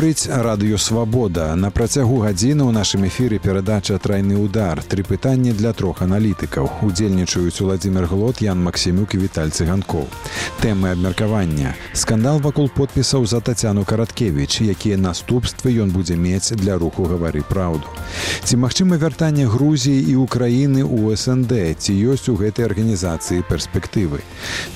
Гаворыць Радыё Свабода. На працягу гадзіны ў нашым эфіры перадача «Трайны удар». 3 пытанні для 3 аналітыкаў. Удзельнічаюць Уладзімір Глот, Ян Максімюк і Віталь Цыганкоў. Тэмы абмеркавання. Скандал вакол подпісаў за Тацяну Караткевіч. Якія наступствы ён будзе мець для руху «Гавары праўду». Ці магчыма вяртанне Грузіі і Украіны ў СНД? Ці ёсць у гэтай арганізацыі перспектывы?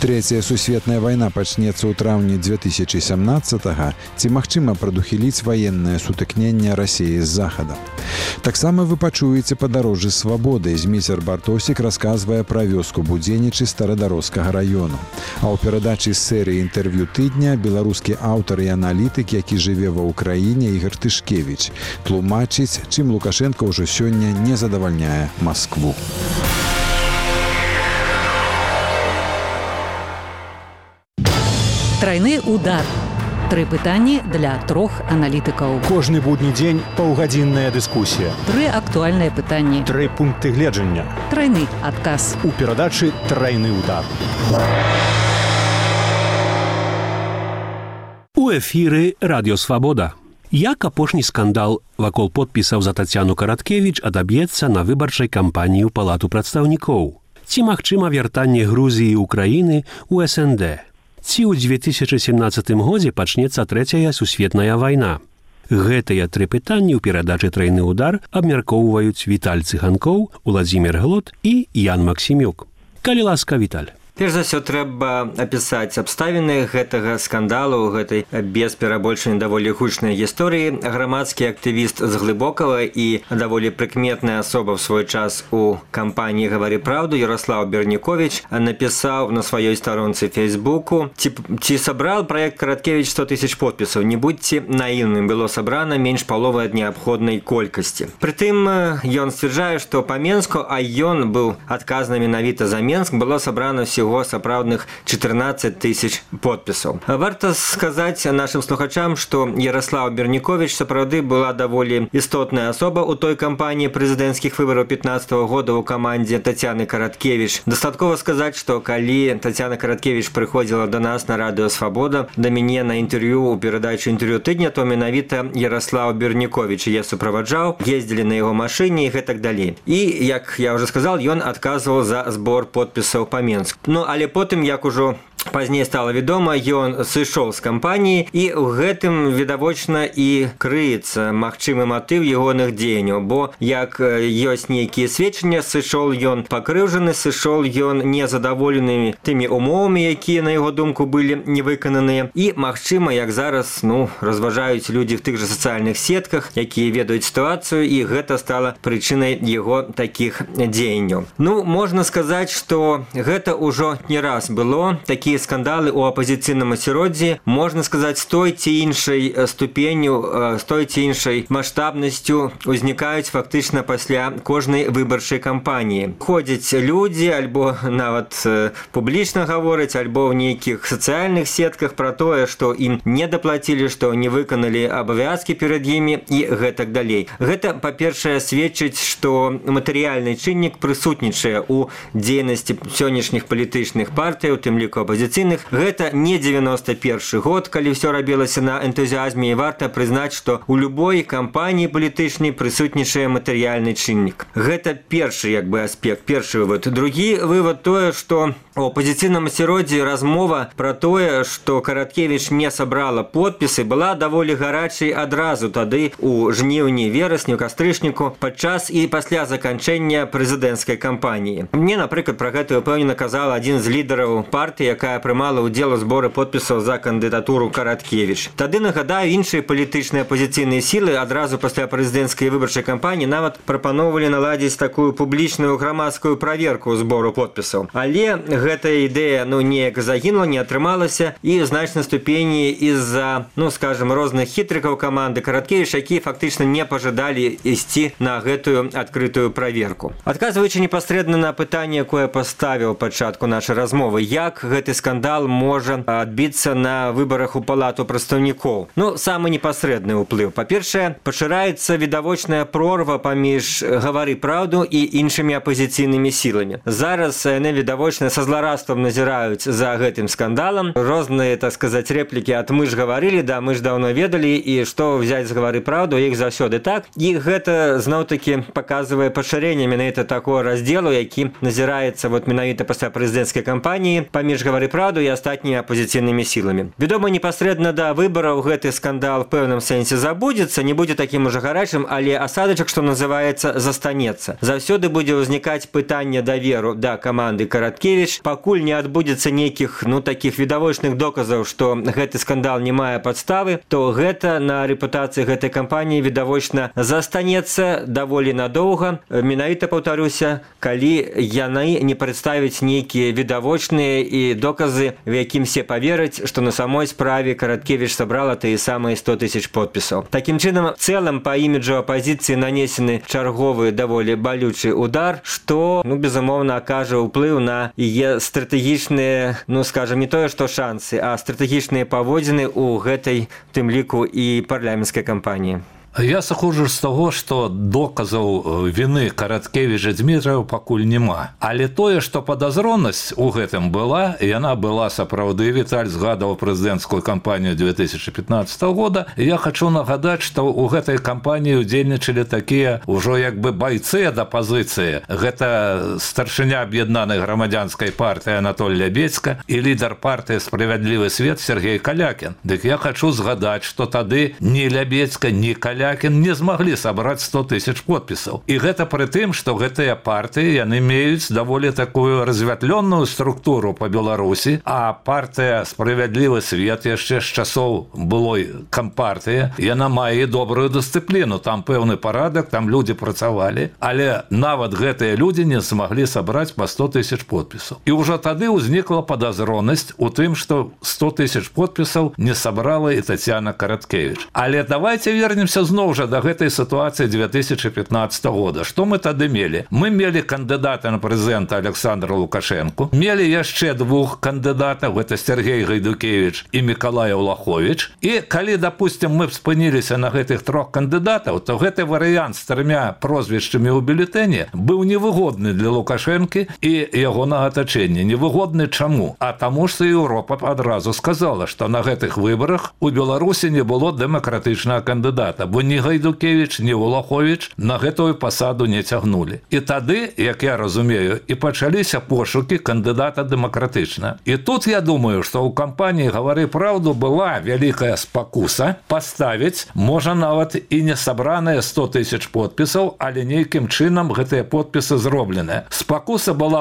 Трэцяя сусветная вайна пачнецца ў траўні 2017-го. Ці магчыма прадухіліць ваеннае сутыкненне Расіі з Захадам? Таксама вы пачуеце падарожжы свабоды. Зміцер Бартосік расказвае пра вёску Будзенічы Старадарожскага раёну. А ў перадачы з серыі інтэрв'ю тыдня беларускі аўтар і аналітык, які жыве ва ўкраіне, Ігар Тышкевіч, тлумачыць, чым Лукашенко ўжо сёння не задавальняе Маскву. Трайны удар. 3 пытанні для 3 аналітыкаў. Кожны будні дзень паўгадзінная дыскусія. 3 актуальныя пытанні. 3 пункты гледжання. Трайны адказ. У перадачы «Трайны удар». У эфіры Радыё Свабода. Як апошні скандал вакол подпісаў за Тацяну Караткевіч адаб'ецца на выбарчай кампаніі ў Палату прадстаўнікоў? Ці магчыма вяртанне Грузіі і Украіны ў СНД? Ці ў 2017 годзе пачнецца трэцяя сусветная вайна? Гэтыя 3 пытанні ў перадачы «Трайны удар» абмяркоўваюць Віталь Цыганкоў, Уладзімір Глот і Ян Максімюк. Калі ласка, Віталь. Перш за ўсё, трэба апісаць абставіны гэтага скандалу, гэтай без перабольшання даволі гучнай гісторыі. Грамадскі актывіст з Глыбокава і даволі прыкметная асоба ў свой час у кампаніі «Гавары праўду» Ярослаў Бернікович напісаў на сваёй старонцы Фейсбуку: «Ці сабрал праект Караткевіч 100 000 подпісаў? Не будьце наіўным, было сабрана менш паловы ад неабходнай колькасці». Прытым ён сцвярджае, што па Менску, а ён быў адказны менавіта за Менск, было сабрана ўсяго сапраўдных 14 000 подпісаў. Варта сказаць нашым слухачам, што Ярослаў Бернікович сапраўды была даволі істотная асоба ў той кампаніі прэзідэнцкіх выбараў 15-го года ў камандзе Тацяны Караткевіч. Дастаткова сказаць, што калі Тацяна Караткевіч прыходзіла да нас на Радыё Свабода, да мяне на інтэрв'ю ў перадачы «Інтэрв'ю тыдня», то менавіта Ярослаў Бернікович я суправаджаў, ездзілі на яго машыне і гэтак далей. І, як я ўжо сказал, ён адказваў за збор подпісаў па Менску. Ну, але потым, як ужо пазней стала вядома, ён сышоў з кампаніі, і ў гэтым відавочна і крыецца магчымы матыў ягоных дзеянняў, бо як ёсць нейкія сведчання, сышоў ён пакрыўжаны, сышоў ён незадаволенымі тымі умовамі, якія на яго думку былі невыкананыя, і магчыма, як зараз разважаюць людзі в тых жа сацыяльных сетках, якія ведаюць сітуацыю, і гэта стала прычынай яго такіх дзеянняў. Можна сказаць, што гэта ўжо не раз было, такія скандалы у апазіцыйным асяроддзі, можна сказаць, з той ці іншай ступенню, з той ці іншай маштабнасцю узнікаюць фактычна пасля кожнай выбарчай кампаніі. Ходзяць людзі, альбо нават публічна гавораць, альбо ў нейкіх сацыяльных сетках пра тое, што ім не даплацілі, што не выканалі абавязкі перад імі і гэтак далей. Гэта, па-першае, сведчыць, што матэрыяльны чыннік прысутнічае ў дзейнасці сённяшніх палітычных партый, у тым ліку апазіцыйных. Гэта не 91 год, калі ўсё рабілася на энтузіазме, і варта прызнаць, што ў любой кампаніі палітычнай прысутнічае матэрыяльны чыннік. Гэта першы аспект, першы вывод. Другі вывод тое, што у апазіцыйным асяроддзі размова пра тое, што Караткевіч не сабрала подпісы, была даволі гарачай адразу тады у жніўні, верасні, кастрычніку, падчас і пасля заканчэння прэзідэнцкай кампаніі. Мне, напрыклад, пра гэта ўпэўнена казала адзін з лідараў партыі, якая прымала ўдзел у зборы подпісаў за кандыдатуру Караткевіч. Тады, нагадаю, іншыя палітычныя апазіцыйныя сілы адразу пасля прэзідэнцкай выбарчай кампаніі нават прапаноўвалі наладзіць такую публічную грамадскую праверку збору подпісаў. Але гэтая ідэя неяк загінула, не атрымалася, і ў значнай ступені з-за, скажем, розных хітрыкаў каманды Караткевіч, якія фактычна не пажадалі ісці на гэтую адкрытую праверку. Адказваючы непасрэдна на пытанне, якое паставіў пачатку нашай размовы, як гэты скандал можа адбіцца на выбарах у Палату прадстаўнікоў. Самы непасрэдны ўплыў. Па-першае, пашыраецца відавочная прорва паміж «Гавары праўду» і іншымі апазіцыйнымі сіламі. Зараз яны відавочна са зларадствам назіраюць за гэтым скандалам. Розныя, так сказаць, рэплікі ад «мы ж гаварылі», да, мы ж даўно ведалі, і што взяць з «гавары праўду», іх заўсёды так. І гэта зноў-такі паказвае пашырэнне менавіта такого раздзелу, які назіраецца менавіта пасля прэзідэнцкай кампаніі паміж «гавары праўду» і астатнімі апозіцыйнымі сіламі. Вядома, непасрэдна да выбараў гэты скандал в пэўным сэнсе забудзецца, не будзе такім ужо гарачым, але асадачак, што называецца, застанецца. Заўсёды будзе ўзнікаць пытанне даверу да каманды Караткевіч. Пакуль не адбудзецца нейкіх, такіх відавочных доказаў, што гэты скандал не мае падставы, то гэта на рэпутацыі гэтай кампаніі відавочна застанецца даволі надоўга. Менавіта, паўтаруся, калі яны не прадставяць нейкія відавочныя і доказы, в якім все павераць, што на самой справе Караткевіч сабрала тыя самыя 100 000 подпісаў. Такім чынам, в цэлым па іміджу апазіцыі нанесены чарговы даволі балючы удар, што, безумоўна, акажа ўплыў на яе стратэгічныя, скажам, не тое, што шансы, а стратэгічныя паводзіны ў гэтай, тым ліку, і парламенцкай кампаніі. Я сыходжу з таго, што доказаў віны Караткевіча Дзмітрыева пакуль няма. Але тое, што падазронасць у гэтым была, яна была сапраўды. Віталь згадаў прэзідэнцкую кампанію 2015 года. Я хачу нагадаць, што ў гэтай кампаніі удзельнічалі такія ўжо байцы ад апазіцыі. Гэта старшыня аб'яднанай грамадзянскай партыі Анатоль Лябедзька і лідар партыі «Справядлівы свет» Сергей Калякін. Дык я хачу згадаць, што тады ні Лябедзька, ні Калякін не змаглі сабраць 100 000 подпісаў. І гэта пры тым, што гэтыя партыі, яны меюць даволі такую развятлённую структуру па Беларусі, а партыя «Справядлівы свет» яшчэ з часоў былой кампартыі, яна мае добрую дысцыпліну, там пэўны парадак, там людзі працавалі, але нават гэтыя людзі не змаглі сабраць па 100 000 подпісаў. І ўжо тады ўзнікла падазронасць у тым, што 100 000 подпісаў не сабрала і Тацяна Караткевіч. Але давайте вернемся зноў жа да гэтай сітуацыі 2015 года. Што мы тады мелі? Мы мелі кандыдата на прэзідэнта Александра Лукашэнку, мелі яшчэ двух кандыдатаў, гэта Сергей Гайдукевіч і Мікалай Улаховіч. І калі, допустим, мы спыніліся на гэтых трох кандыдатаў, то гэты варыянт з 3 прозвішчамі ў бюлетэне быў невыгодны для Лукашэнкі і ягонага атачэння. Невыгодны чаму? А таму што Еўропа адразу сказала, што на гэтых выбарах у Беларусі не было дэмакратычнага кандыдата, бо ні Гайдукевіч, ні Улаховіч на гэтую пасаду не цягнулі. І тады, як я разумею, і пачаліся пошукі кандыдата дэмакратычна. І тут я думаю, што ў кампаніі «Гавары праўду» была вялікая спакуса паставіць, можа нават і не сабраныя 100 000 подпісаў, але нейкім чынам гэтыя подпісы зробленыя. Спакуса была,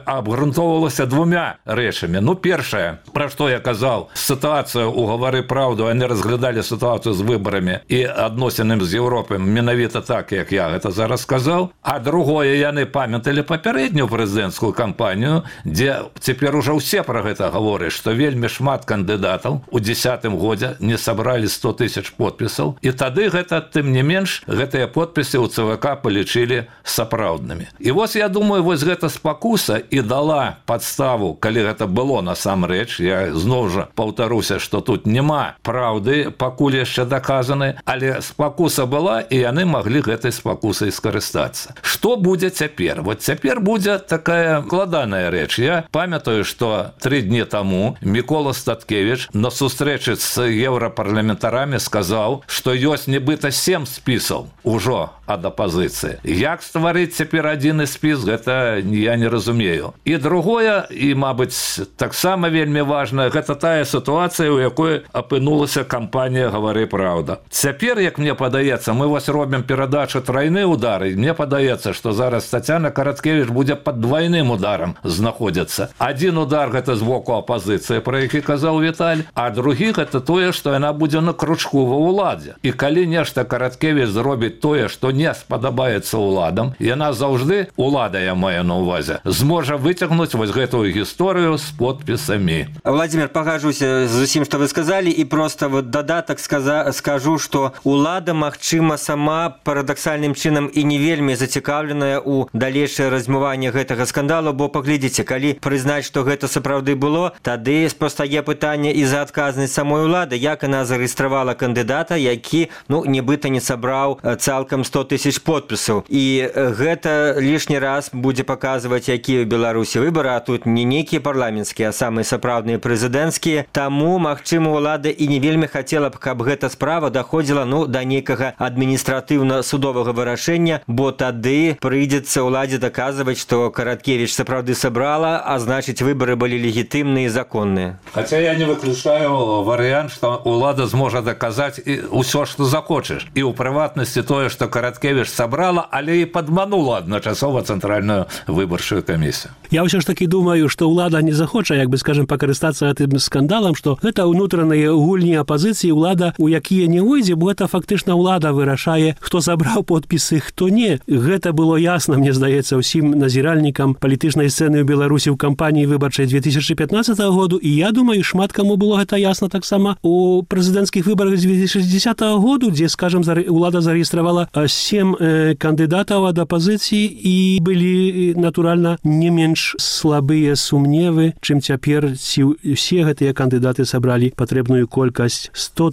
абгрунтоўвалася двумя рэчамі. Першае, пра што я казаў, сітуацыю ў «Гавары праўду», яны разглядалі сітуацыю з выбарамі і адносінам з Еўропай менавіта так, як я гэта зараз сказаў. А другое, яны памяталі папярэднюю прэзідэнцкую кампанію, дзе цяпер ужо ўсе пра гэта гавораць, што вельмі шмат кандыдатаў у 2010 годзе не сабралі 100 000 подпісаў. І тады гэта, тым не менш, гэтыя подпісы ў ЦВК палічылі сапраўднымі. І вось я думаю, вось гэта спакуса і дала падставу, калі гэта было насамрэч. Я зноў жа паўтаруся, што тут няма праўды, пакуль яшчэ даказаны, але спакуса была, і яны маглі гэтай спакусай скарыстацца. Што будзе цяпер? Вот цяпер будзе такая складаная рэч. Я памятаю, што 3 дні таму Мікола Статкевіч на сустрэчы з еўрапарламентарамі сказаў, што ёсць нібыта 7 спісаў ужо ад апазіцыі. Як стварыць цяпер адзіны спіс, гэта я не разумею. І другое, і, мабыць, таксама вельмі важнае, гэта тая сітуацыя, у якой апынулася кампанія «Гавары праўда». Цяпер, як мне падаецца, мы вось робім перадачу «Трайны удар», і мне падаецца, што зараз Тацяна Караткевіч будзе пад двайным ударам знаходзіцца. Адзін удар гэта з боку апазіцыі, пра які казаў Віталь, а другі гэта тое, што яна будзе на кручку ва ўладзе. І калі нешта Караткевіч зробіць тое, што не спадабаецца ўладам, яна заўжды, улада я маю на ўвазе, зможа выцягнуць вось гэтую гісторыю з подпісамі. Владимир, пагажуся з усім, што вы сказалі, і проста дадатак скажу, што улада, магчыма, сама парадаксальным чынам і не вельмі зацікаўленая ў далейшае размыванне гэтага скандалу, бо паглядзіце, калі прызнаць, што гэта сапраўды было, тады пастае пытанне і за адказнасць самой улады, як яна зарэгістравала кандыдата, які, нібыта не сабраў цалкам 100 000 подпісаў. І гэта лішні раз будзе паказваць, якія ў Беларусі выбары, а тут не нейкія парламенцкія, а самыя сапраўдныя прэзідэнцкія. Таму, магчыма, улада і не вельмі хацела б, каб гэта справа даходзіла да нейкага адміністратыўна-судовага вырашэння, бо тады прыйдзецца ўладзе даказваць, што Караткевіч сапраўды сабрала, а значыць, выбары былі легітымныя і законныя. Хотя я не выключаю вариант, что улада сможет доказать все, что захочешь. И у прыватности тое, что Караткевич собрала, але и подманула одночасово Центральную выборчую комиссию. Я ўсё ж таки думаю, што ўлада не захоча, скажем, пакарыстацца гэтым скандалам, што гэта ўнутраныя гульні апазіцыі, улада, у якія не ўйдзе, бо гэта фактычна ўлада вырашае, хто забраў подпісы, хто не. Гэта было ясна, мне здаецца, ўсім назіральнікам палітычнай сцэны ў Беларусі ў кампаніі выбарчай 2015 году, і я думаю, шмат каму было гэта ясна таксама у прэзідэнцкіх выбарах 2010 году, дзе, скажем, улада зарэгістравала 7 кандыдатаў ад апазіцыі, і былі, натуральна, не менш слабыя сумневы, чым цяпер, ці ўсе гэтыя кандыдаты сабралі патрэбную колькасць 100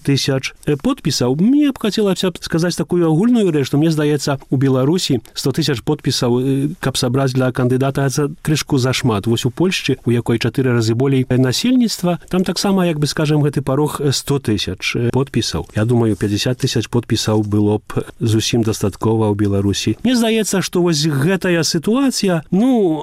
000 подпісаў. Мне б хацелася сказаць такую агульную рэч, што мне здаецца, у Беларусі 100 000 подпісаў, каб сабраць для кандыдата, це крышку зашмат. Вось у Польшчы, у якой 4 разы болей насельніцтва, там таксама, скажем, гэты парог 100 000 подпісаў. Я думаю, 50 000 подпісаў было б зусім дастаткова ў Беларусі. Мне здаецца, што вось гэтая сітуацыя,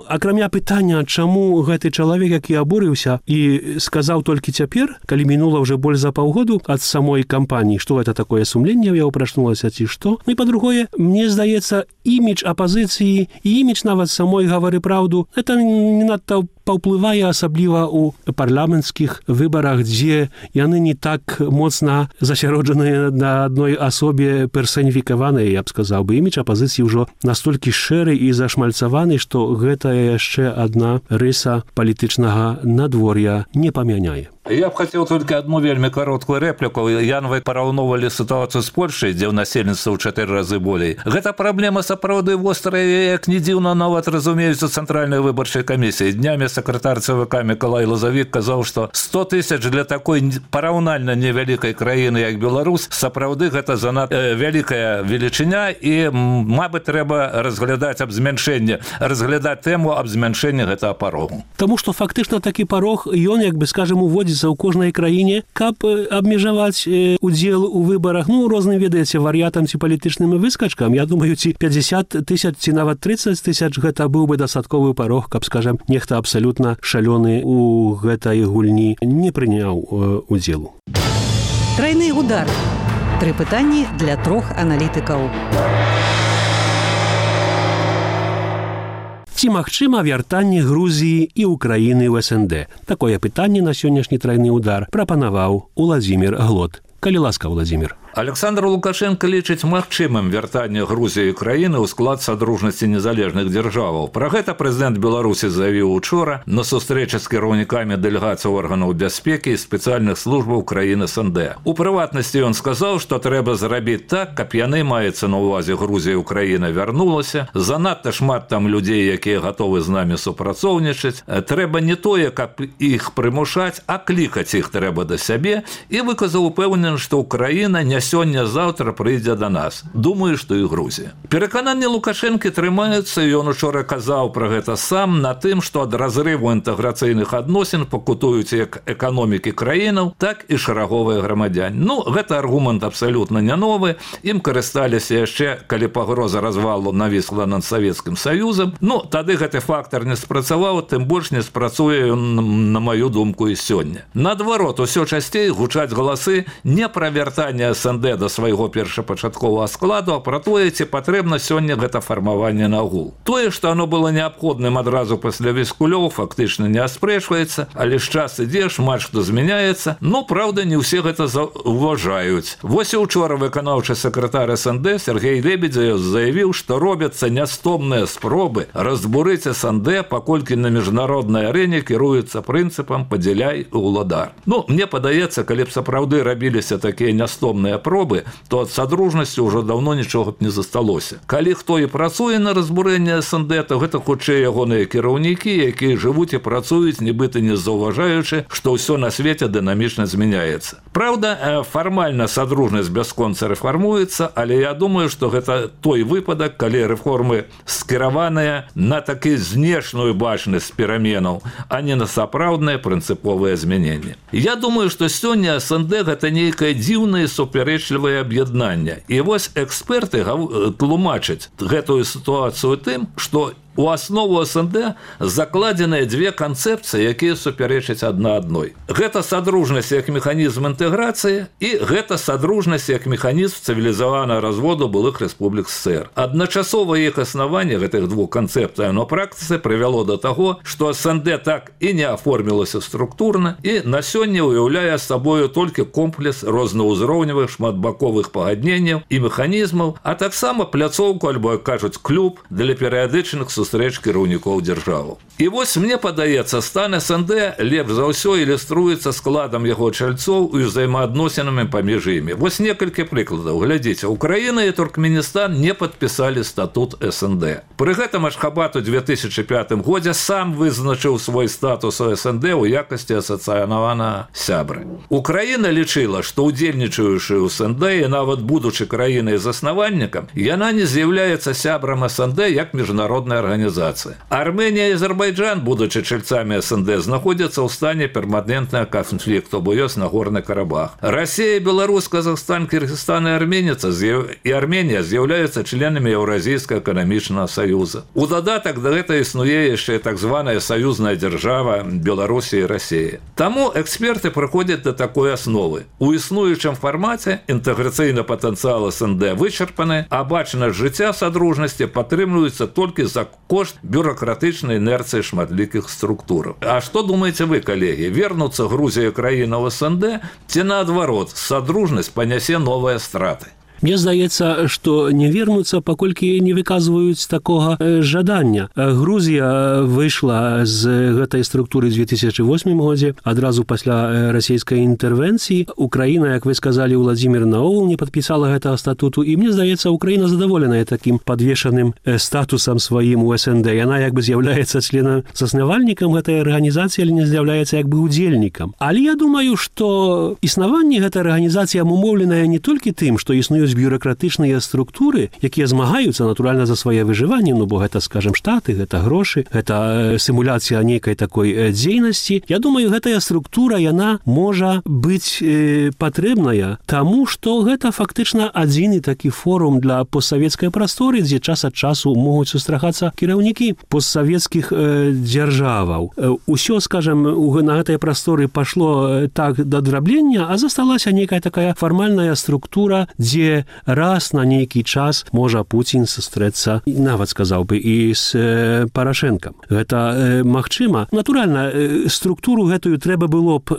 акрамя пытання, чаму гэты чалавек, які абурыўся і сказаў толькі цяпер, калі мінула ўжо больш за паўгоду ад самой кампаніі, што гэта такое сумленне ў яго прачнулася, ці што. І па-другое, мне здаецца, імідж апазіцыі і імідж нават самой «Гавары праўду» это не надта паўплывае, асабліва ў парламенцкіх выбарах, дзе яны не так моцна засяроджаныя на адной асобе персаніфікаваныя, я б сказаў бы. Імідж апазіцыі ўжо настолькі шэры і зашмальцаваны, што гэта яшчэ адна рыса палітычнага надвор'я не памяняе. Я б хотел только одну вельмі короткую реплику. Ян, вы параўноўвалі ситуацию с Польшей, где у насельніцтва ў 4 разы болей. Гэта праблема сапраўды вострая, як не дзіўна, нават разумеюцца Центральной выбарчай камісіі. Днямі сакратар ЦВК Миколай Лазавік казаў, што 100 000 для такой параўнальна невялікай краіны, як Беларусь, сапраўды гэта занадта вялікая велічыня, і, мабыць, трэба разглядаць тэму аб змяншэнні гэтага парогу. Таму што фактычна такі парог, ён, скажем, уводзіць у кожнай краіне, каб абмежаваць удзел у выбарах, розным, ведаеце, варыятам ці палітычным выскачкам. Я думаю, ці 50 000, ці нават 30 000 гэта быў бы дастатковы парог, каб, скажем, нехта абсалютна шалёны у гэтай гульні не прыняў удзелу. Трайны удар. 3 пытанні для 3 аналітыкаў. Ці магчыма вяртанне Грузіі і Украіны ў СНД? Такое пытанне на сённяшні трайны удар прапанаваў Уладзімір Глот. Калі ласка, Владзімір. Александр Лукашенко лічыць магчымым вяртанне Грузіі і Украіны ў склад Садружнасці незалежных дзяржаваў. Пра гэта прэзідэнт Беларусі заявіў учора на сустрэчы з кіраўнікамі дэлегацый органаў бяспекі і спецыяльных службаў краін СНД. У прыватнасці ён сказаў, што трэба зрабіць так, каб яны, маецца на ўвазе Грузія і Украіна, вярнулася. Занадта шмат там людзей, якія гатовы з намі супрацоўнічаць. Трэба не тое, каб іх прымушаць, а клікаць іх трэба да сябе, і выказаў упэўнены, што Украіна не сёння-заўтра прыйдзе да нас. Думаю, што і Грузія. Перакананні Лукашэнкі трымаюцца, і ён учора казаў пра гэта сам, на тым, што ад разрыву інтэграцыйных адносін пакутуюць як эканомікі краінаў, так і шараговыя грамадзяне. Гэта аргумент абсалютна не новы. Ім карысталіся яшчэ, калі пагроза развалу навісла над Савецкім Саюзам. Тады гэты фактар не спрацаваў, тым больш не спрацуе ён, на маю думку, і сёння. Наадварот, усё часцей гучаць галасы не пра вяртанне СНД да свайго першапачатковага складу, а пра тое, ці патрэбна сёння гэта фармаванне нагул. Тое, што оно было неабходным адразу пасля Віскулёў, фактычна не аспрэчваецца, але ж час ідзе, шмат што змяняецца, праўда, не ўсе гэта заўважаюць. Вось і учора выканаўчы сакратар СНД Сергей Лебедзев заявіў, што робяцца нястомныя спробы разбурыць СНД, паколькі на міжнароднай арэне кіруецца прынцыпам «падзяляй і ўладар». Мне падаецца, калі б сапраўды рабіліся такія нястомныя пробы, то ад Садружнасці ўжо даўно нічога б не засталося. Калі хто і працуе на разбурэнне СНД, то гэта хутчэй ягоныя кіраўнікі, якія жывуць і працуюць, нібыта не заўважаючы, што ўсё на свеце дынамічна змяняецца. Праўда, фармальна Садружнасць бясконца рэфармуецца, але я думаю, што гэта той выпадак, калі рэформы скіраваныя на такі знешнюю бачнасць пераменаў, а не на сапраўднае прынцыповае змяненне. Я думаю, што сёння СНД гэта нейкае дзіўнае супярэчлівае аб'яднанне. І вось эксперты тлумачаць гэтую сітуацыю тым, што у аснову СНД закладзеныя две канцэпцыі, якія супярэчаць адна адной. Гэта садружнасць як механізм інтэграцыі і гэта садружнасць як механізм цывілізаванага разводу былых рэспублік ССР. Адначасова іх аснаванне гэтых двух канцэпцый на практыцы прывяло да таго, што СНД так і не аформілася структурна і на сёння уяўляе сабою толькі комплекс рознаўзроўневых шматбаковых пагадненняў і механізмаў, а таксама пляцоўку альбо, як кажуць, клуб для перыядычных сустрэч кіраўнікоў дзяржаваў. І вось мне падаецца, стан СНД лепш за ўсё ілюструецца складам яго чальцоў і ўзаемаадносінамі паміж імі. Вось некалькі прыкладаў. Глядзіце, Украіна і Туркменістан не падпісалі статут СНД. Пры гэтым Ашхабад у 2005 годзе сам вызначыў свой статус у СНД ў якасці асацыянаванага сябры. Украіна лічыла, што удзельнічаючы ў СНД і нават будучы краінай заснавальнікам, яна не з'яўляецца сябрам СНД як міжнародная арганізацыя. Арменія і Азербайджан, будучы чальцамі СНД, знаходзяцца ў стане перманентнага канфлікту, бо ёсць Нагорны Карабах. Расія, Беларусь, Казахстан, Кыргызстан і Арменія з'яўляюцца членамі Еўразійскага эканамічнага саюза. У дадатак да гэта існуе яшчэ так званая саюзная дзяржава Беларусі і Расіі. Таму эксперты прыходзяць да такой асновы. У існуючым фармаце інтэграцыйны патэнцыял СНД вычарпаны, а бачнасць жыцця садружнасці падтрымліваецца толькі за кошт бюрократычнай інерцыі шматлікіх структураў. А што думаеце вы, калегі? Вернуцца Грузія краіна ў СНД ці наадварот, садружнасць панясе новыя страты? Мне здаецца, што не вернуцца, паколькі не выказваюць такога жадання. Грузія выйшла з гэтай структуры ў 2008 годзе, адразу пасля расійскай інтэрвенцыі. Украіна, як вы сказалі, Владзімір, наогул не падпісала гэтага статуту, і мне здаецца, Украіна задаволеная такім падвешаным статусам сваім у СНД. Яна як бы з'яўляецца членам заснавальнікам гэтай арганізацыі, але не з'яўляецца як бы удзельнікам. Але я думаю, што існаванне гэтай арганізацыі абумоўленае не толькі тым, што існуюць бюрократычныя структуры, якія змагаюцца, натуральна, за свае выжыванне, ну, бо гэта, скажем, штаты, гэта грошы, гэта сімуляцыя нейкай такой дзейнасці. Я думаю, гэтая структура, яна можа быць патрэбная, таму, што гэта фактычна адзіны такі форум для постсавецкай прасторы, дзе час ад часу могуць сустракацца кіраўнікі постсавецкіх дзяржаваў. Усё, скажем, на гэтай прасторы пашло так да драблення, а засталася нейкая такая фармальная структура, дзе раз на нейкі час можа Пуцін сустрэцца, нават сказаў бы, і з Парашэнкам. Гэта магчыма. Натуральна, структуру гэтую трэба было б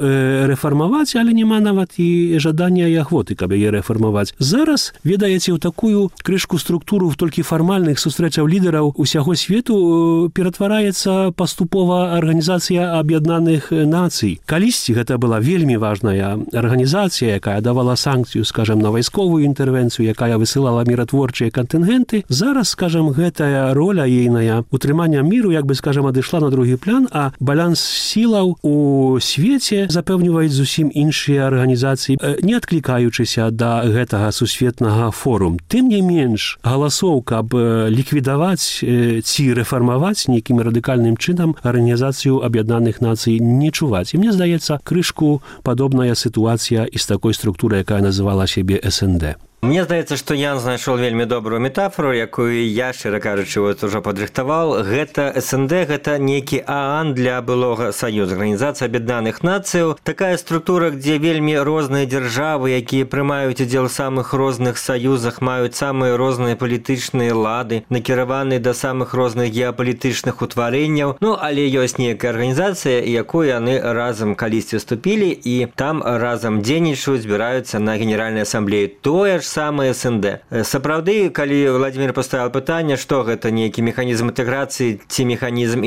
рэфармаваць, але няма нават і жадання і ахвоты, каб яе рэфармаваць. Зараз, ведаеце, у такую крышку структуру толькі фармальных сустрэчаў лідараў усяго свету ператвараецца паступова Арганізацыя Аб'яднаных Нацый. Калісьці гэта была вельмі важная арганізацыя, якая давала санкцыю, скажем, на вайсковую інтэрвенцыю, якая высылала міратворчыя кантынгенты. Зараз, скажем, гэтая роля ейная утрымання міру, як бы, скажем, адышла на другі план, а баланс сілаў у свеце запэўніваюць зусім іншыя арганізацыі, не адклікаючыся да гэтага сусветнага форум. Тым не менш, галасоў, каб ліквідаваць ці рэфармаваць нейкім радыкальным чынам Арганізацыю Аб'яднаных Нацый не чуваць. І мне здаецца, крышку падобная сітуацыя і з такой структурай, якая называла сябе СНД. Мне здаецца, што Ян знайшоў вельмі добрую метафору, якую я, шчыра кажучы, вот ужо падрыхтаваў. Гэта СНД, гэта нейкі ААН для былога Саюза, Арганізацыя Аб'яднаных Нацыяў. Такая структура, дзе вельмі розныя дзяржавы, якія прымаюць удзел у самых розных саюзах, маюць самыя розныя палітычныя лады, накіраваныя да самых розных геапалітычных утварэнняў. Ну, але ёсць нейкая арганізацыя, якую яны разам калісьці вступілі, і там разам дзейнічаюць, збіраюцца на Генеральнай асамблеі. Тое ж самае СНД. Сапраўды, калі Владимир поставил пытанне, што гэта нейкі механізм інтэграцыі ці механізм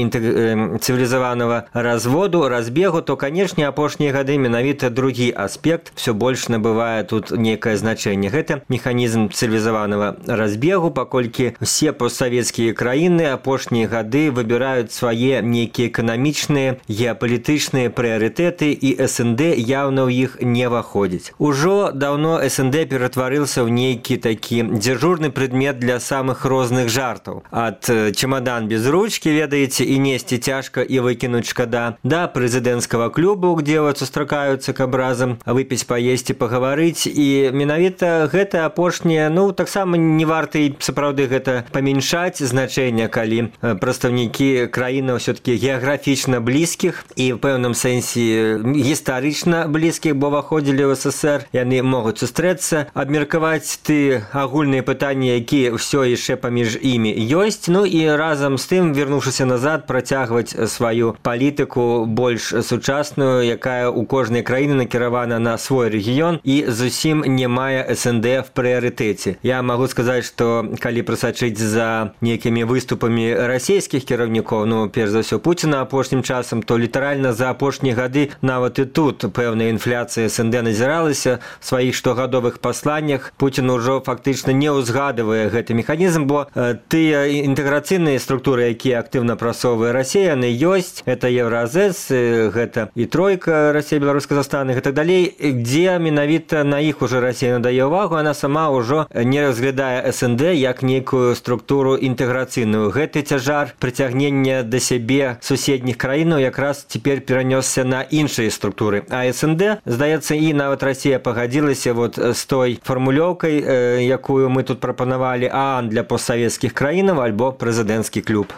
цывілізаванага разводу, разбегу, то, канешне, апошнія гады менавіта другі аспект все больш набывае тут некае значэнне. Гэта механізм цывілізаванага разбегу, паколькі все постсавецкія краіны апошнія гады выбіраюць свае нейкія эканамічныя, геапалітычныя прыярытэты, і СНД явно ў іх не выходзіць. Ужо даўно СНД ператварыўся ў нейкі такі дзяжурны предмет для самых розных жартаў. Ад чемодан без ручки, ведаеце, і несці цяжка і выкінуць шкада, да прэзідэнцкага клубу, где вот сустракаюцца каб разам выпіць, паесці, пагаварыць. І менавіта гэта апошняе, ну, таксама не варта і сапраўды гэта памяншаць значэнне, калі прадстаўнікі краінаў все-таки геаграфічна блізкіх і в пэўным сэнсе гістарычна блізкіх, бо выходзілі ў СССР, яны могуць сустрэцца, абмеркаваць ты агульныя пытанні, якія ўсё яшчэ паміж імі ёсць, ну і разам з тым, вярнуўшыся назад, працягваць сваю палітыку больш сучасную, якая у кожнай краіны накіравана на свой рэгіён і зусім не мае СНД в прыярытэце. Я магу сказаць, што калі прасачыць за нейкімі выступамі расійскіх кіраўнікоў, ну, перш за ўсё Пуціна апошнім часам, то літаральна за апошнія гады нават і тут пэўная інфляцыя СНД назіралася в сваіх штогадовых пасланнях. Пуцін ужо фактычна не ўзгадывае гэты механізм, бо тыя інтэграцыйныя структуры, якія актыўна прасоўвае Расія, яны ёсць. Это Евразэс, гэта і тройка Расія, Беларусь, Казахстан і так далей, дзе менавіта на іх уже Расія надае ўвагу, она сама ўжо не разглядае СНД як нейкую структуру інтэграцыйную. Гэты цяжар прыцягнення да сябе суседніх краінаў якраз цяпер перанёсся на іншыя структуры. А СНД, здаецца, і нават Расія пагадзілася вот з той фармулёўкай, якую мы тут прапанавалі, ААН для постсавецкіх краінаў альбо прэзідэнцкі клуб.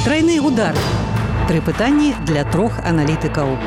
Трайны удар. 3 пытанні для 3 аналітыкаў.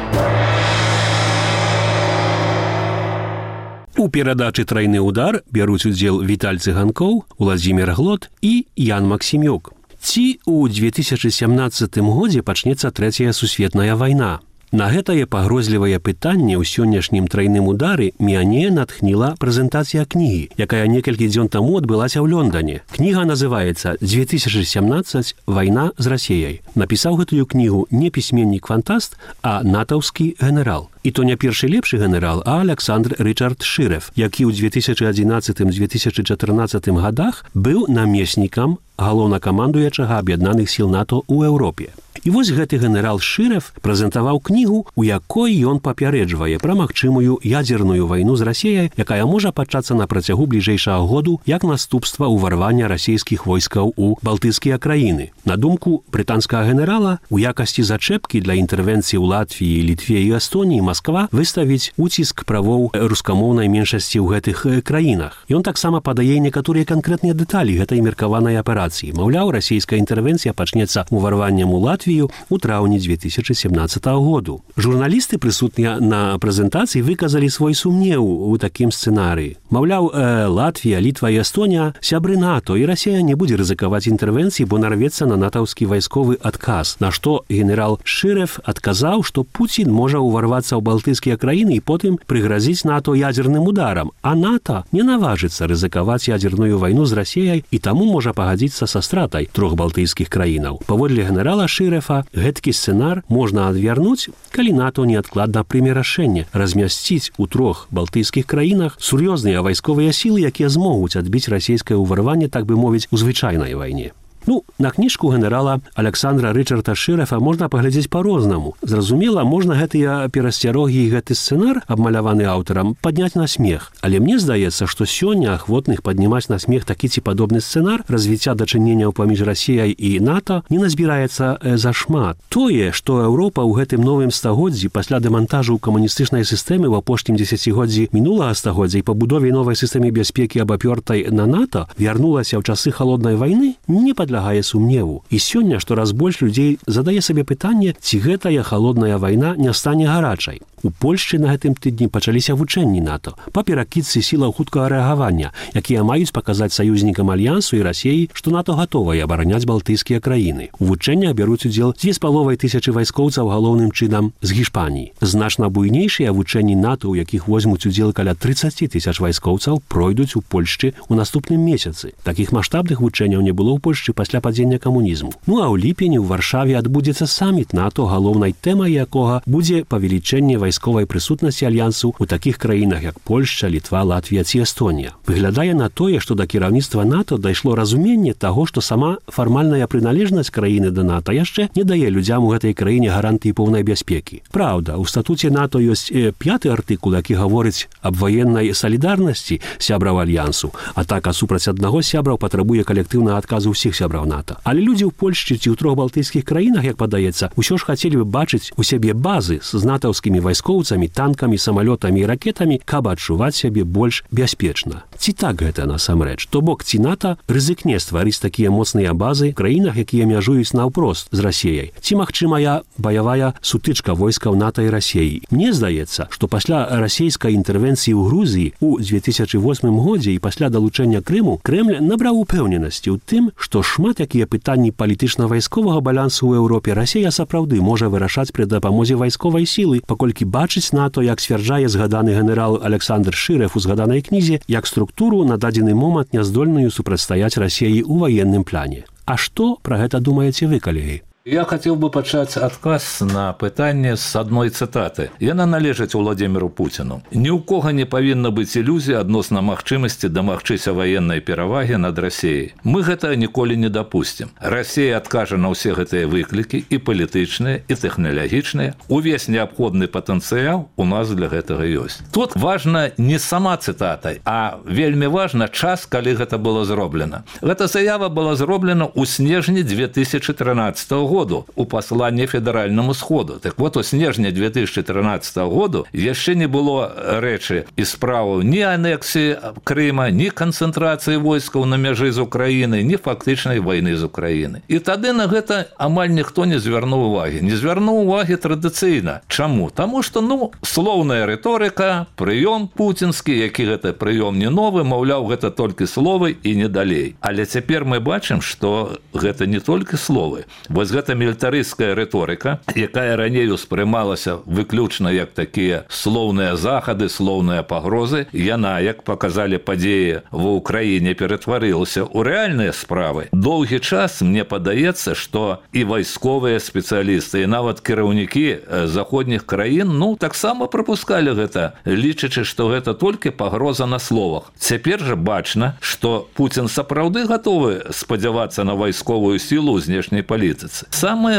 У перадачы «Трайны удар» бяруць удзел Віталь Цыганкоў, Уладзімір Глот і Ян Максімюк. Ці ў 2017 годзе пачнецца трэцяя сусветная вайна? На гэтае пагрозлівае пытанне ў сённяшнім трайным удары мяне натхніла прэзентацыя кнігі, якая некалькі дзён таму адбылася ў Лондоне. Кніга называецца «2017. Вайна з Расіяй». Напісаў гэтую кнігу не пісьменнік-фантаст, а натаўскі генерал. І то не першы лепшы генерал, а Александр Рычард Шырэв, які ў 2011-2014 годах быў намеснікам галоўнакамандуючага аб'яднаных сіл НАТО ў Еўропе. І вось гэты генерал Шырэв прэзентаваў кнігу, у якой ён папярэджвае пра магчымую ядзерную вайну з Расіяй, якая можа пачацца на працягу бліжэйшага году як наступства ўварвання расійскіх войскаў у балтыйскія краіны. На думку брытанскага генерала, у якасці зачэпкі для інтэрвенцыі ў Латвіі, Літве і Эстоніі Масква выставіць уціск правоў рускамоўнай меншасці ў гэтых краінах. Ён таксама падае некаторыя канкрэтныя дэталі гэтай меркаванай аперацыі. Маўляў, расійская інтэрвенцыя пачнецца ўварваннем у Латвію у траўні 2017 году. Журналісты, прысутныя на прэзентацыі, выказалі свой сумнеў у такім сцэнарыі. Маўляў, Латвія, Літва і Эстонія сябры НАТО, і Расія не будзе рызыкаваць інтэрвенцыі, бо нарвецца на натаўскі вайсковы адказ. На што генерал Шырэв адказаў, што Пуцін можа ўварвацца ў балтыйскія краіны і потым прыгразіць НАТО ядзерным ударам, а НАТО не наважыцца рызыкаваць ядзерную вайну з Расіяй і таму можа пагадзіцца са стратай 3 балтыйскіх краінаў. Паводле генерала Шырэва, гэткі сцэнар можна адвярнуць, калі НАТО неадкладна прыме рашэнне размясціць у 3 балтыйскіх краінах сур'ёзныя вайсковыя сілы, якія змогуць адбіць расійскае ўварванне, так бы мовіць, у звычайнай вайне. Ну, на кніжку генерала Александра Рычарда Шырэва можна паглядзець па-рознаму. Зразумела, можна гэтыя перасцярогі і гэты сцэнар, абмаляваны аўтарам, падняць на смех. Але мне здаецца, што сёння ахвотных паднімаць на смех такі ці падобны сцэнар развіцця дачыненняў паміж Расіяй і НАТО не назбіраецца зашмат. Тое, што Еўропа ў гэтым новым стагоддзі пасля дэмантажу камуністычнай сістэмы ў апошнім дзесяцігоддзі мінулага стагоддзя і пабудове новай сістэмы бяспекі абапёртай на НАТО вярнулася ў часы халоднай вайны, не падлежыць падлягае сумневу. І сёння штораз больш людзей задае сабе пытанне, ці гэтая халодная вайна не стане гарачай. У Польшчы на гэтым тыдні пачаліся вучэнні НАТО па перакідцы сілаў хуткага рэагавання, якія маюць паказаць саюзнікам альянсу і Расіі, што НАТО гатовае абараняць балтыйскія краіны. У вучэннях бяруць удзел 2500 вайскоўцаў галоўным чынам з Гішпаніі. Значна буйнейшыя вучэнні НАТО, у якіх возьмуць удзел каля 30 000 вайскоўцаў, пройдуць у Польшчы ў наступным месяцы. Такіх маштабных вучэнняў не было ў Польшчы пасля падзення камунізму. Ну а ў ліпені ў Варшаве адбудзецца саміт НАТО, галоўнай тэмай якога будзе павелічэнне вайсковай прысутнасці альянсу ў такіх краінах, як Польшча, Літва, Латвія ці Эстонія. Выглядае на тое, што да кіраўніцтва НАТО дайшло разуменне таго, што сама фармальная прыналежнасць краіны да НАТО яшчэ не дае людзям у гэтай краіне гарантыі поўнай бяспекі. Праўда, у статуце НАТО ёсць 5-й артыкул, які гаворыць аб ваеннай салідарнасці сябраў альянсу. Атака супраць аднаго з сябраў патрабуе калектыўнага адказу ўсіх сябраў НАТО. Але людзі ў Польшчы ці ў 3 балтыйскіх краінах, як падаецца, усё ж хацелі бы бачыць у сябе базы з натаўскімі вайскоўцамі, танкамі, самалётамі і ракетамі, каб адчуваць сябе больш бяспечна. Ці так гэта насамрэч? То бок, ці НАТО рызыкне стварыць такія моцныя базы ў краінах, якія мяжуюць наўпрост з Расіяй? Ці магчымая баявая сутычка войскаў НАТО і Расіі? Мне здаецца, што пасля расійскай інтэрвенцыі ў Грузіі ў 2008 годзе і пасля далучэння Крыму Крэмль набраў упэўненасці ў тым, што шмат якія пытанні палітычна-вайсковага балансу ў Еўропе Расія сапраўды можа вырашаць пры дапамозе вайсковай сілы, паколькі бачыць НАТО, як сцвярджае згаданы генерал Александр Шырэв у згаданай кнізе, як структуру на дадзены момант няздольную супрацьстаяць Расіі ў ваенным плане. А што пра гэта думаеце вы, калегі? Я хотел бы пачаць адказ на пытанне з адной цытаты. Яна належыць Уладзіміру Пуціну. Ні ў кога не павінна быць ілюзій адносна магчымасці дамагчыся ваеннай перавагі над Расіяй. Мы гэта ніколі не дапусцім. Расія адкажа на ўсе гэтыя выклікі, і палітычныя, і тэхналагічныя. Увесь неабходны патэнцыял у нас для гэтага ёсць. Тут важна не сама цытата, а вельмі важна час, калі гэта было зроблена. Гэта заява была зроблена ў снежні 2013 году у пасланні федэральнаму сходу. Так вот, у снежні 2013 году яшчэ не было рэчы і справаў ні анексіі Крыма, ні канцэнтрацыі войскаў на мяжы з Украінай, ні фактычнай вайны з Украінай. І тады на гэта амаль ніхто не звярнуў увагі. Не звярнуў увагі традыцыйна. Чаму? Таму што, слоўная рыторыка, прыём пуцінскі, які гэта прыём не новы, маўляў, гэта толькі словы і не далей. Але цяпер мы бачым, што гэта не толькі словы. Вось гэта мілітарысцкая рыторыка, якая раней успрымалася выключна як такія слоўныя захады, слоўныя пагрозы, яна, як паказалі падзеі ва ўкраіне, ператварылася ў рэальныя справы. Доўгі час мне падаецца, што і вайсковыя спецыялісты, і нават кіраўнікі заходніх краін, таксама прапускалі гэта, лічачы, што гэта толькі пагроза на словах. Цяпер жа бачна, што Пуцін сапраўды гатовы спадзявацца на вайсковую сілу ў знешняй палітыцы. Самае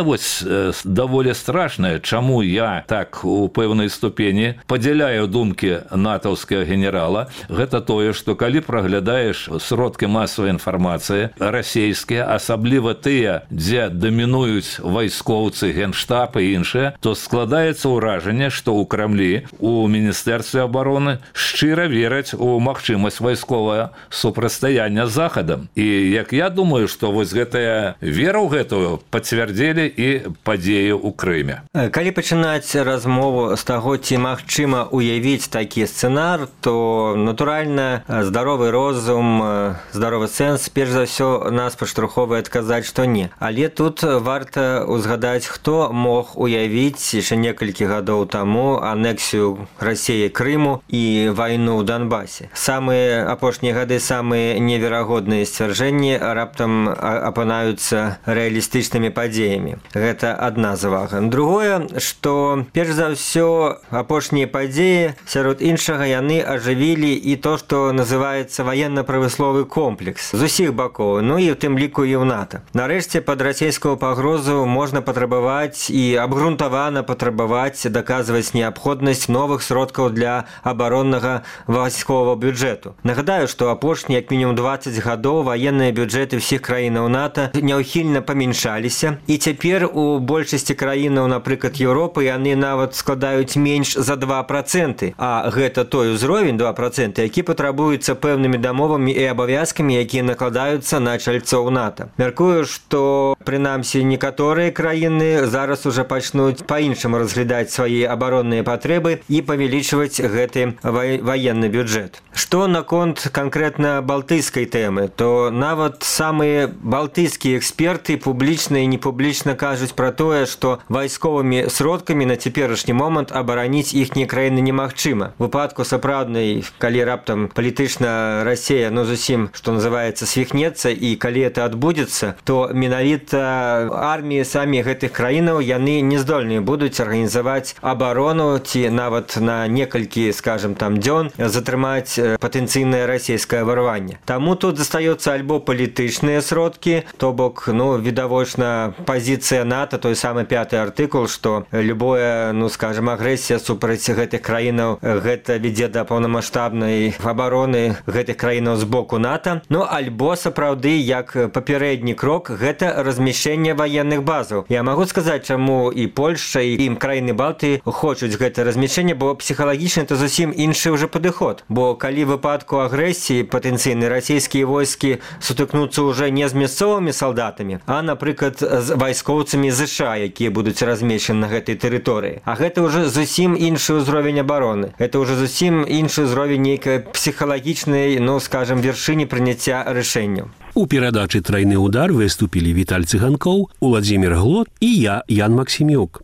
даволі страшнае, чаму я так у пэўнай ступені падзяляю думкі натаўскага генерала, гэта тое, што калі праглядаеш сродкі масавай інфармацыі расійскія, асабліва тыя, дзе дамінуюць вайскоўцы, генштаб і іншыя, то складаецца ўражанне, што ў Крамлі, у Міністэрстве абароны шчыра вераць у магчымасць вайсковага супрацьстаяння з Захадам. І як я думаю, што вось гэтая вера ў гэтую пацвярдзілі і падзеі ў Крыме. Калі пачынаць размову з таго, ці магчыма уявіць такі сцэнар, то, натуральна, здаровы розум, здаровы сэнс, перш за ўсё, нас падштурхоўвае адказаць, што не. Але тут варта ўзгадаць, хто мог уявіць яшчэ некалькі гадоў таму анексію Расіі Крыму і вайну ў Донбасе. Самыя апошнія гады, самыя неверагодныя сцвярджэнні раптам апынаюцца рэалістычнымі падзеямі. Гэта адна завага. Другое, што перш за ўсё апошнія падзеі, сярод іншага, яны ажывілі і то, што называецца ваенна-прамысловы комплекс з усіх бакоў, і ў тым ліку і ў НАТО. Нарэшце, пад расійскую пагрозу можна патрабаваць і абгрунтавана патрабаваць даказваць неабходнасць новых сродкаў для абароннага вайсковага бюджэту. Нагадаю, што апошнія як мінімум 20 гадоў ваенныя бюджэты ўсіх краінаў НАТО няўхільна памяншаліся, і цяпер у большасці краінаў, напрыклад, Еўропы, яны нават складаюць менш за 2%, а гэта той узровень 2%, які патрабуецца пэўнымі дамовамі і абавязкамі, якія накладаюцца на чальцоў НАТО. Мяркую, што прынамсі некаторыя краіны зараз уже пачнуць па-іншаму разглядаць свае абаронныя патрэбы і павялічваць гэты ваенны бюджэт. Што наконт канкрэтна балтыйскай тэмы, то нават самыя балтыйскія эксперты публічна і непублічна кажуць пра тое, што вайсковымі сродкамі на цяперашні момант абараніць іхнія краіны немагчыма. У выпадку сапраўднай, калі раптам палітычна Расія, зусім, што называецца, свіхнецца, і калі это адбудзецца, то менавіта арміі самі гэтых краінаў яны не здольныя будуць арганізаваць абарону ці нават на некалькі, скажем, дзён затрымаць патэнцыйнае расійскае варванне. Таму тут застаецца альбо палітычныя сродкі, то бок, відавочна пазіцыя НАТО, той самы 5-й артыкул, што любое, скажем, агрэсія супраць гэтых краінаў, гэта вядзе да паўнамаштабнай абароны гэтых краінаў з боку НАТО. Альбо сапраўды, як папярэдні крок, гэта размяшчэнне ваенных базаў. Я магу сказаць, чаму і Польшча, і краіны Балтыі хочуць гэта размяшчэнне, бо псіхалагічна это зусім іншы ўжо падыход. Бо калі в выпадку агрэсіі патэнцыйнай расійскія войскі сутыкнуцца ўжо не з мясцовымі салдатамі, а, напрыклад, з вайскоўцамі ЗША, якія будуць размешчаны на гэтай тэрыторыі. А гэта ўжо зусім іншы ўзровень абароны. Это ўжо зусім іншы ўзровень нейкай псіхалагічнай, скажем, вяршыні прыняцця рашэнняў. У перадачы «Трайны удар» выступілі Віталь Цыганкоў, Уладзімір Глот і я, Ян Максімюк.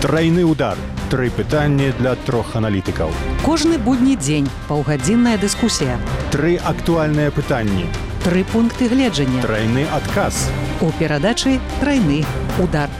Трайны удар. 3 пытанні для 3 аналітыкаў. Кожны будні дзень паўгадзінная дыскусія. 3 актуальныя пытанні. 3 пункты гледжання. Трайны адказ. У перадачы «Трайны удар».